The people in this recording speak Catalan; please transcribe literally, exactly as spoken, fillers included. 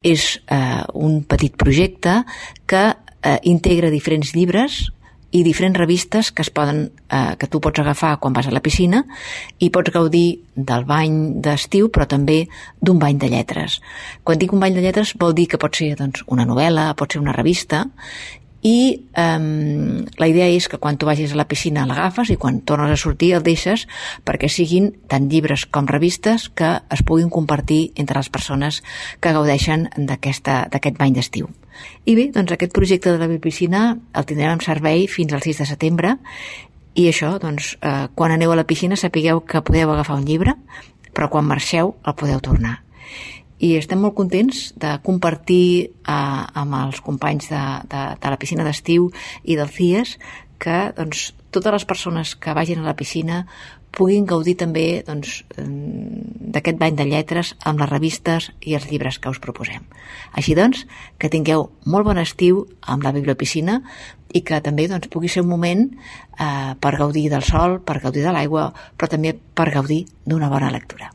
És eh, un petit projecte que eh, integra diferents llibres i diferents revistes que es poden, eh, que tu pots agafar quan vas a la piscina i pots gaudir del bany d'estiu, però també d'un bany de lletres. Quan dic un bany de lletres vol dir que pot ser doncs, una novel·la, pot ser una revista, i um, la idea és que quan tu vagis a la piscina l'agafes i quan tornes a sortir el deixes perquè siguin tant llibres com revistes que es puguin compartir entre les persones que gaudeixen d'aquest bany d'estiu. I bé, doncs aquest projecte de la bibliopiscina el tindrem en servei fins al sis de setembre i això, doncs, eh, quan aneu a la piscina sapigueu que podeu agafar un llibre, però quan marxeu el podeu tornar. I estem molt contents de compartir eh, amb els companys de, de, de la piscina d'estiu i del C I E S que doncs, totes les persones que vagin a la piscina puguin gaudir també doncs, d'aquest bany de lletres amb les revistes i els llibres que us proposem. Així doncs, que tingueu molt bon estiu amb la bibliopiscina i que també doncs, pugui ser un moment eh, per gaudir del sol, per gaudir de l'aigua, però també per gaudir d'una bona lectura.